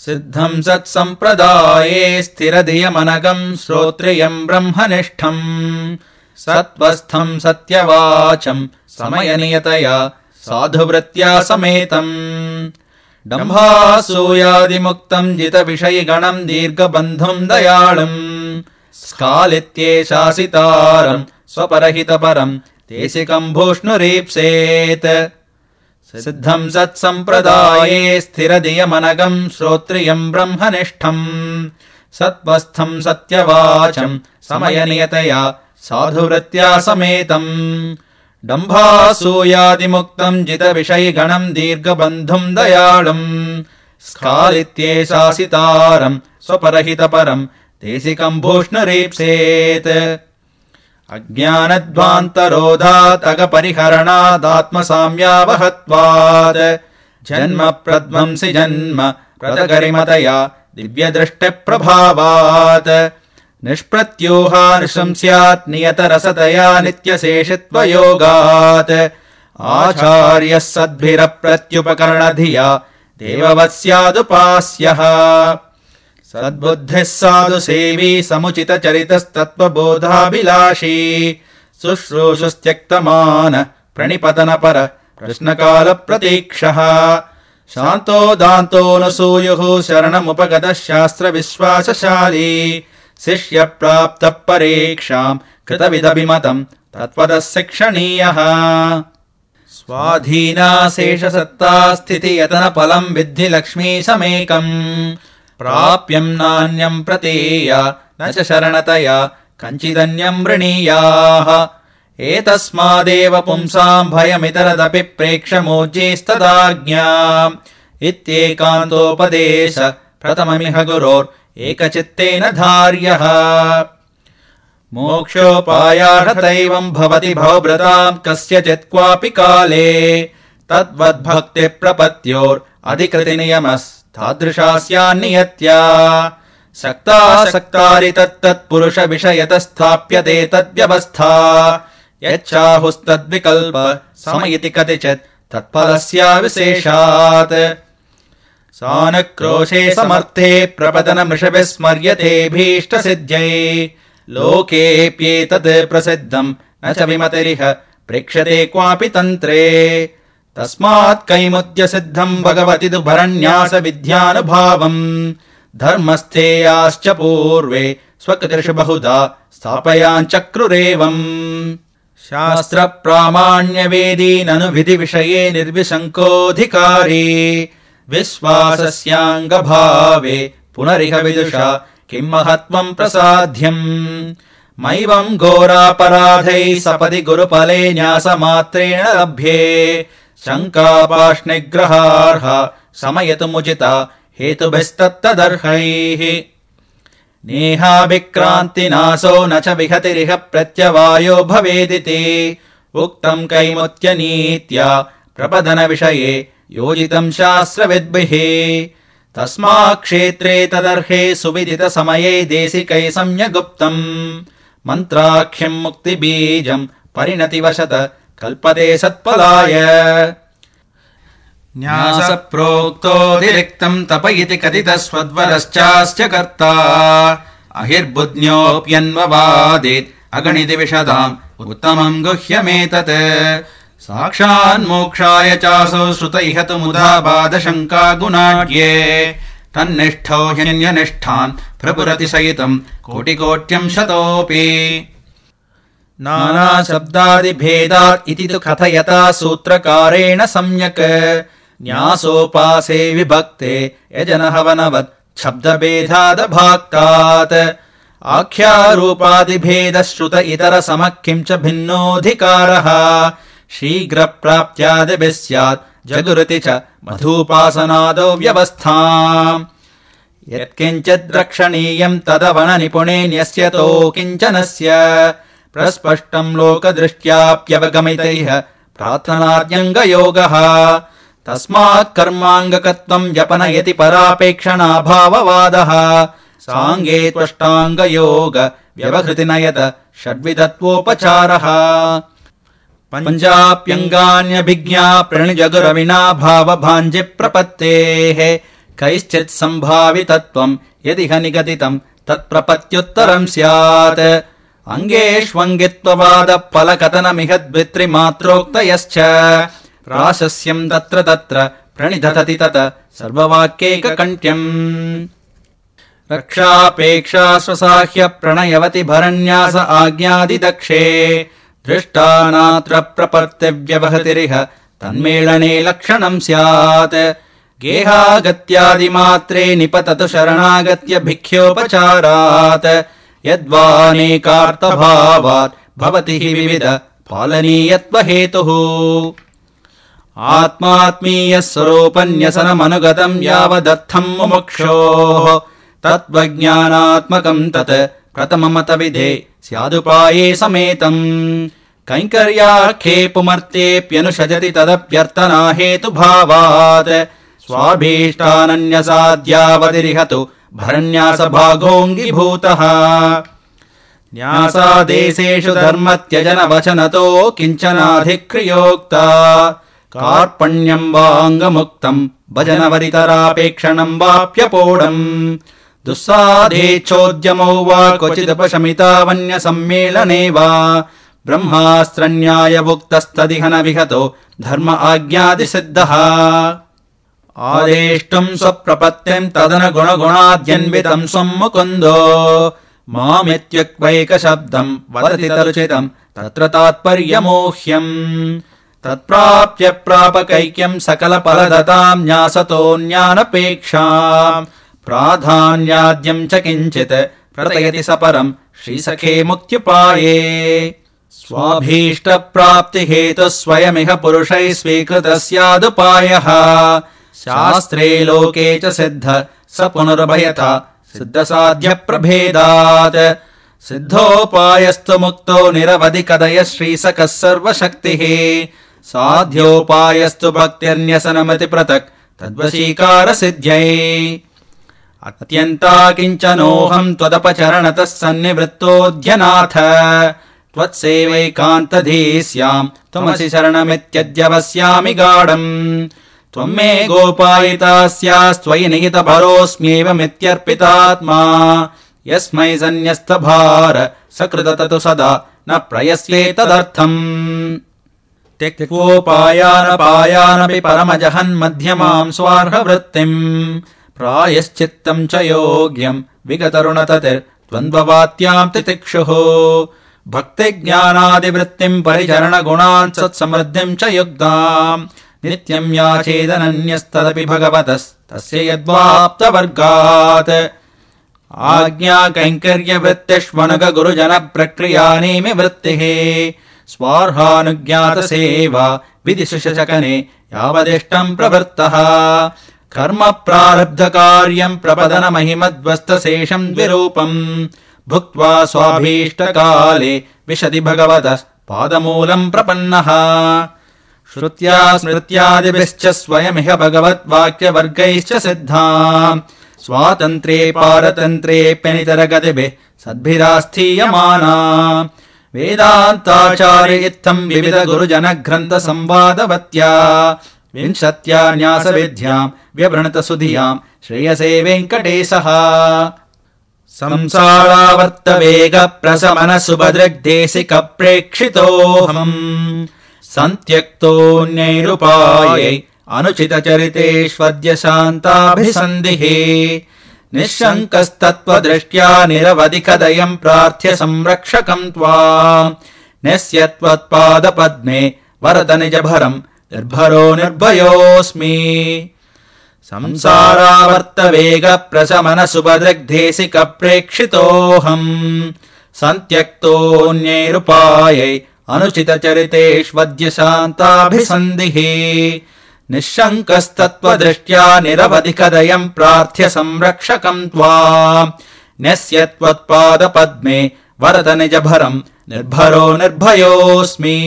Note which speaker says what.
Speaker 1: सिद्धम् सत्सम्प्रदाये स्थिरधियमनघम् श्रोत्रियम् ब्रह्मनिष्ठम् सत्त्वस्थम् सत्यवाचम् समयनियतया साधुवृत्त्या समेतम् दम्भासूयादिमुक्तम् जितविषयिगणम् दीर्घबन्धुम् दयाळुम् स्कालित्येशासितारम् स्वपरहितपरम् देशिकम् भूष्णुरीप्सेत् सिद्धम् सत्सम्प्रदाये स्थिरधियमनघम् श्रोत्रियम् ब्रह्मनिष्ठम् सत्त्वस्थम् सत्यवाचम् समयनियतया साधुवृत्त्या समेतम् दम्भासूयादिमुक्तम् जितविषयिगणम् दीर्घबन्धुम् दयाळुम् स्कालित्येशासितारम् स्वपरहितपरम् देशिकम् भूष्णुरीप्सेत् अज्ञानध्वान्तरोधात् अगपरिहरणादात्मसाम्यावहत्वात् जन्म प्रध्वंसि जन्म प्रदगरिमतया दिव्यदृष्टिप्रभावात् निष्प्रत्यूहानुशंस्यात् नियतरसतया नित्यशेषित्वयोगात् आचार्यः सद्भिरप्रत्युपकरणधिया देववत्स्यादुपास्यः सद्बुद्धिः साधु सेवी समुचितचरितस्तत्त्वबोधाभिलाषी शुश्रूषुस्त्यक्तमान प्रणिपतनपर प्रश्नकालप्रतीक्षः शान्तो दान्तोऽनसूयुः शरणमुपगतः शास्त्रविश्वासशाली शिष्यप्राप्तः परीक्षाम् कृतविदभिमतम् तत्त्वतः शिक्षणीयः स्वाधीनाशेषसत्ता स्थितियतनफलम् विद्धि लक्ष्मीशमेकम् प्राप्यम् नान्यम् प्रतीय न च शरणतया कञ्चिदन्यम् वृणीयाः एतस्मादेव पुंसाम् भयमितरदपि प्रेक्ष्यमोज्जीस्तदाज्ञा इत्येकान्तोपदेश प्रथममिह गुरोरेकचित्तेन धार्यः मोक्षोपायार्थदैवम् भवति भवभृताम् कस्यचित् क्वापि काले तद्वद्भक्तिप्रपत्योरधिकृतिनियमस्तादृशा स्यान्नियत्या सक्तासक्तारि तत्तत्पुरुष विषयतस्थाप्यते तद्व्यवस्था यच्चाहुस्तद्विकल्प सम इति कतिचित् तत्फलस्याविशेषात् सानुक्रोशे समर्थे प्रपतनमृषभिः स्मर्यते भीष्टसिद्ध्यै लोकेऽप्येतत् प्रसिद्धम् न च विमतिरिह प्रेक्ष्यते क्वापि तन्त्रे तस्मात् कैमुद्य सिद्धम् भगवति दुभरन्यास विद्यानुभावम् धर्मस्थेयाश्च पूर्वे स्वकृतिषु बहुधा स्थापयाञ्चक्रुरेवम् शास्त्रप्रामाण्यवेदी ननु विधिविषये निर्विशङ्कोऽधिकारी विश्वासस्याङ्गभावे पुनरिह विदुषा किम् महत्त्वम् प्रसाध्यम् मैवम् घोरापराधैः सपदि गुरुफले न्यासमात्रेण लभ्ये शङ्कापाष्निग्रहार्ह समयतुमुचिता हेतुभिस्तत्तदर्हैः नेहाभिक्रान्तिनाशो न च विहतिरिह प्रत्यवायो भवेदिति उक्तम् कैमुत्यनीत्या प्रपदनविषये योजितम् शास्त्रविद्भिः तस्मात् क्षेत्रे तदर्हे सुविदितसमये देशिकै सम्यगुप्तम् मन्त्राख्यम् मुक्तिबीजम् परिणतिवशत कल्पते सत्फलाय न्यासप्रोक्तोऽतिरिक्तम् तप इति कथितस्वद्वरश्चास्य कर्ता अहिर्बुद्ध्योऽप्यन्ववादेत् अगणिति विशदाम् उत्तमम् गुह्यमेतत् साक्षान्मोक्षाय चासौ श्रुत इह तु मुधा बाधशङ्का गुणाढ्ये तन्निष्ठो ह्यन्यनिष्ठान् प्रपुरतिसहितम् कोटिकोट्यम् शतोऽपि नानाशब्दादिभेदात् इति तु कथयता सूत्रकारेण सम्यक् न्यासोपासे विभक्ते यजनहवनवत् शब्दभेदादभाक्तात् आख्यारूपादिभेदश्रुत इतरसमः किम् च भिन्नोऽधिकारः शीघ्रप्राप्त्यादिभिः स्यात् जगुरिति च मधूपासनादौ व्यवस्था यत्किञ्चिद् रक्षणीयम् तदवननिपुणेन्यस्यतो किञ्चनस्य प्रस्पष्टम् लोकदृष्ट्याप्यवगमितैः प्रार्थनाद्यङ्गयोगः तस्मात् कर्माङ्गकत्वम् जपनयति परापेक्षणाभाववादः साङ्गे त्वष्टाङ्गयोग व्यवहृतिनयत षड्विधत्वोपचारः पञ्चाप्यङ्गान्यभिज्ञा प्रणिजगुरविना भावभाञ्जिप्रपत्तेः कैश्चित् सम्भावितत्वम् यदिह निगदितम् तत्प्रपत्युत्तरम् स्यात् अङ्गेष्वङ्गित्ववादफलकथनमिह द्वित्रिमात्रोक्तयश्च प्राशस्यम् तत्र तत्र प्रणिधतति तत सर्ववाक्यैककण्ठ्यम् रक्षापेक्षा स्वसाह्य प्रणयवति भरन्यास आज्ञादिदक्षे दृष्टा नात्र प्रपत्तिव्यवहतिरिह तन्मेलने लक्षणम् स्यात् गेहागत्यादिमात्रे निपततु शरणागत्य भिक्ष्योपचारात् यद्वानेकार्थभावात् भवति हि विविध पालनीयत्वहेतुः आत्मात्मीयः स्वरूपन्यसनमनुगतम् यावदर्थम् मुमुक्षोः तत्त्वज्ञानात्मकम् तत् प्रथममतविधे स्यादुपाये समेतम् कैङ्कर्याख्ये पुमर्त्येऽप्यनुषजति तदप्यर्थना हेतुभावात् स्वाभीष्टानन्यसाद्यावतिरिहतु भरन्यासभागोऽङ्गीभूतः न्यासादेशेषु धर्मत्यजनवचनतो किञ्चनाधिक्रियोक्ता कार्पण्यम् वाङ्गमुक्तम् भजनवरितरापेक्षणम् वाप्यपोढम् दुस्साधेच्छोद्यमौ वा क्वचिदुपशमितावन्यसम्मेलने वा ब्रह्मास्त्रन्यायभुक्तस्तदिह न विहतो धर्म आज्ञादिसिद्धः आदेष्टुम् स्वप्रपत्तिम् तदनुगुणगुणाद्यन्वितम् स्वम् मुकुन्दो मामित्युक्तैकशब्दम् वदति तरुचितम् तत्र तात्पर्यमोह्यम् तत्प्राप्य प्रापकैक्यम् सकलफलदताम् न्यासतो ज्ञानपेक्षाम् प्राधान्याद्यम् च किञ्चित् प्रतयति सपरम् श्रीसखे मुक्त्युपाये स्वाभीष्टप्राप्तिहेतुः स्वयमिह पुरुषैः स्वीकृतः स्यादुपायः शास्त्रे लोके च सिद्ध स पुनरुभयता सिद्धसाध्यप्रभेदात् सिद्धोपायस्तु मुक्तो निरवधि कदय श्रीसखः सर्वशक्तिः साध्योपायस्तु भक्तिर्न्यसनमति पृथक् तद्वशीकारसिद्ध्यै अत्यन्ता किञ्चनोऽहम् त्वदपचरणतः सन्निवृत्तोऽध्यनाथ त्वत्सेवैकान्तधीस्याम् त्वमसि शरणमित्यद्यवस्यामि गाढम् त्वम् मे गोपायिता स्यास्त्वयि निहितभरोऽस्म्येवमित्यर्पितात्मा यस्मै सन्न्यस्तभार सकृत ततु सदा न प्रयस्येतदर्थम् त्यक्त्वोपायानपायानपि परमजहन्मध्यमाम् स्वार्हवृत्तिम् प्रायश्चित्तम् च योग्यम् विगतरुणततिर्द्वन्द्ववात्याम् तितिक्षुः भक्तिज्ञानादिवृत्तिम् परिचरणगुणान् सत्समृद्धिम् च युक्ताम् नित्यम् याचेदनन्यस्तदपि भगवतस्तस्य यद्वाप्तवर्गात् आज्ञा कैङ्कर्यवृत्तिष्वनुग गुरुजनप्रक्रियानेमि वृत्तिः स्वार्हानुज्ञातसेवा विधिशुशकने यावदिष्टम् प्रवृत्तः कर्म प्रारब्धकार्यम् प्रपदनमहिमद्वस्तशेषम् द्विरूपम् भुक्त्वा स्वाभीष्टकाले विशति भगवतः पादमूलम् प्रपन्नः श्रुत्या स्मृत्यादिभिश्च स्वयमिह भगवद्वाक्यवर्गैश्च सिद्धा स्वातन्त्र्ये पारतन्त्र्येऽप्यनितरगतिभिः सद्भिरास्थीयमाना वेदान्ताचार्य इत्थम् विविध गुरुजनग्रन्थसंवादवत्या विंशत्या न्यासविद्याम् व्यवृणत सुधियाम् श्रेयसे वेङ्कटेशः संसारावर्तवेगप्रशमनसुभदृग्देशिकप्रेक्षितोऽहम् सन्त्यक्तोऽन्यैरुपायै अनुचितचरितेष्वद्य शान्ताभिसन्धिः निःशङ्कस्तत्त्वदृष्ट्या निरवधिकदयम् प्रार्थ्य संरक्षकम् त्वाम् न्यस्यत्वत्पादपद्मे वरद निजभरम् निर्भरो निर्भयोऽस्मि संसारावर्तवेगप्रशमनसुभदृग्देशिकप्रेक्षितोऽहम् सन्त्यक्तोऽन्यैरुपायै अनुचितचरितेष्वद्य शान्ताभिसन्धिः निःशङ्कस्तत्त्वदृष्ट्या निरवधिकदयम् प्रार्थ्य संरक्षकम् त्वाम् न्यस्यत्वत्पादपद्मे वरद निजभरम् निर्भरो निर्भयोऽस्मि।